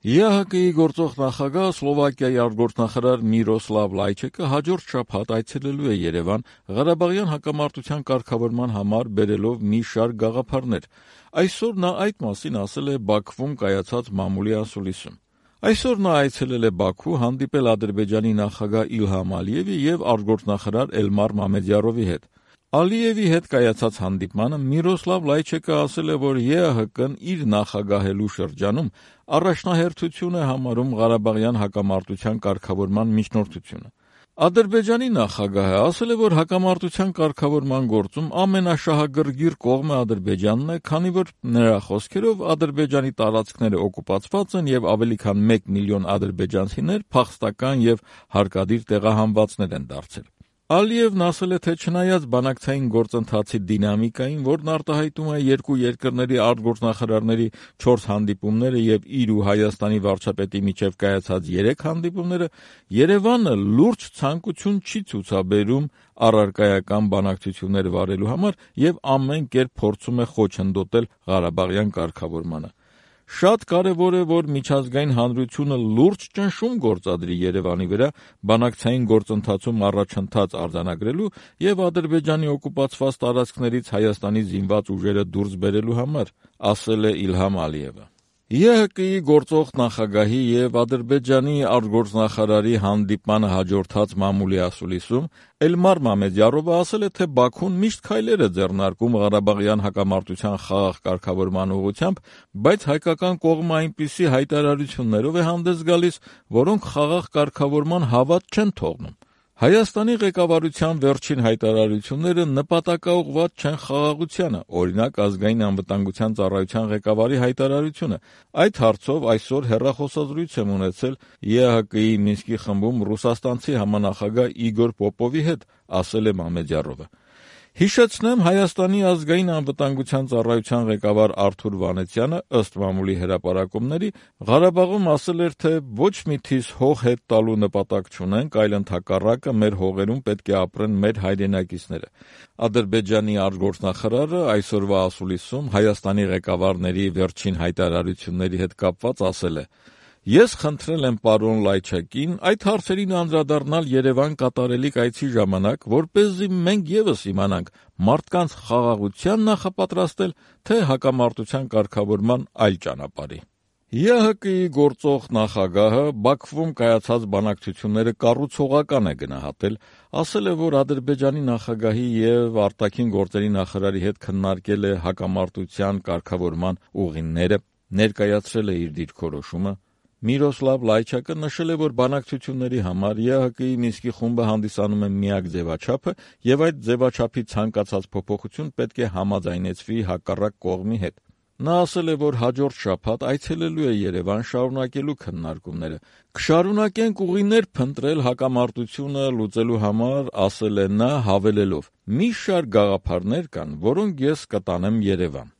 ԵԱՀԿ-ի գործող նախագահ Սլովակիայի արտգործնախարար Միրոսլավ Լայչեկը հաջորդ շաբաթ այցելելու է Երևան Ղարաբաղյան հակամարտության կարգավորման համար բերելով մի շարք գաղափարներ։ Այսօր նա այդ մասին ասել է Բաքվում կայացած մամուլի ասուլիսում։ Այսօր նա այցելել է Բաքու հանդիպել Ադրբեջանի նախագահ Իլհամ Ալիևի և արտգործնախարար Էլմար Մամեդյարովի հետ։ Ալիևի հետ կայացած հանդիպմանը Միրոսլավ Լայչեկը ասել է, որ ԵԱՀԿ-ն իր նախագահելու շրջանում առաջնահերթություն է համարում Ղարաբաղյան հակամարտության կարգավորման միջնորդությունը։ Ադրբեջանի նախագահը ասել է, որ հակամարտության կարգավորման գործում ամենաշահագրգիռ կողմը Ադրբեջանն է, քանի որ նրա խոսքերով Ադրբեջանի տարածքները օկուպացված են և ավելի քան 1 միլիոն ադրբեջանցիներ փախստական և հարկադիր տեղահանվածներ են դարձել։ Ալիևն ասել է, թե չնայած բանակցային գործընթացի դինամիկային, որն արտահայտում է երկու երկրների արտգործնախարարների 4 հանդիպումները և իր ու Հայաստանի վարչապետի միջև կայացած 3 հանդիպումները, Երևանը լուրջ ցանկություն չի ցուցաբերում առարկայական բանակցություններ վարելու համար և ամեն կերպ փորձում է խոչընդոտել Ղարաբաղյան կարգավորմանը։ Շատ կարևոր է, որ միջազգային հանրությունը լուրջ ճնշում գործադրի Երևանի վրա բանակցային գործընթացում առաջընթաց արձանագրելու և Ադրբեջանի օկուպացված տարածքներից Հայաստանի զինված ուժերը դուրս բերելու համար, ասել է Իլհամ Ալիևը։ ԵԱՀԿ-ի գործող նախագահի և Ադրբեջանի արտգործնախարարի հանդիպմանը հաջորդած մամուլի ասուլիսում Էլմար Մամեդյարովը ասել է, թե Բաքուն միշտ քայլեր է ձեռնարկում Ղարաբաղյան հակամարտության խաղաղ կարգավորման ուղղությամբ, բայց հայկական կողմը այնպիսի հայտարարություններով է հանդես գալիս, որոնք խաղաղ կարգավորման հավատ չեն թողնում։ Հայաստանի ղեկավարության վերջին հայտարարությունները նպատակաուղղված չեն խաղաղությանը, օրինակ Ազգային անվտանգության ծառայության ղեկավարի հայտարարությունը։ Այդ հարցով այսօր հեռախոսազրույց եմ ունեցել ԵԱՀԿ-ի Մինսկի խմբում ռուսաստանցի համանախագահ Իգոր Պոպովի հետ, ասել է Մամեդյարովը։ Հիշեցնեմ, Հայաստանի ազգային անվտանգության ծառայության ղեկավար Արթուր Վանեցյանը, ըստ մամուլի հրապարակումների, Ղարաբաղում ասել էր, թե ոչ մի թիզ հող հետ տալու նպատակ չունենք, այլ ընդհակառակը մեր հողերում պետք է ապրեն մեր հայրենակիցները։ Ադրբեջանի արտգործնախարարը այսօրվա ասուլիսում Հայաստանի ղեկավարների վերջին հայտարարությունների հետ կապված ասել է. «Ես խնդրել եմ պարոն Լայչակին այդ հարցերին անդրադառնալ Երևան կատարելիք այցի ժամանակ, որպեսզի մենք ևս իմանանք մարդկանց խաղաղության նախապատրաստել, թե հակամարտության կարգավորման այլ ճանապարհի»։ ԵԱՀԿ-ի գործող նախագահը Բաքվում կայացած բանակցությունները կառուցողական է գնահատել, ասել է, որ Ադրբեջանի նախագահի և արտաքին գործերի նախարարի հետ քննարկել է հակամարտության կարգավորման ուղիները, ներկայացրել է իր դիրքորոշումը։ Միրոսլավ Լայչակը նշել է, որ բանակցությունների համար ԵԱՀԿ-ի Մինսկի խումբը հանդիսանում է միակ ձևաչափը և այդ ձևաչափի ցանկացած փոփոխություն պետք է համաձայնեցվի հակառակ կողմի հետ։ Նա ասել է, որ հաջորդ շաբաթ այցելելու է Երևան շարունակելու քննարկումները։ «Կշարունակենք ուղիներ փնտրել հակամարտությունը լուծելու համար», ասել է նա, հավելելով. «Մի շարք գաղափարներ կան, որոնք ես կտանեմ Երևան»։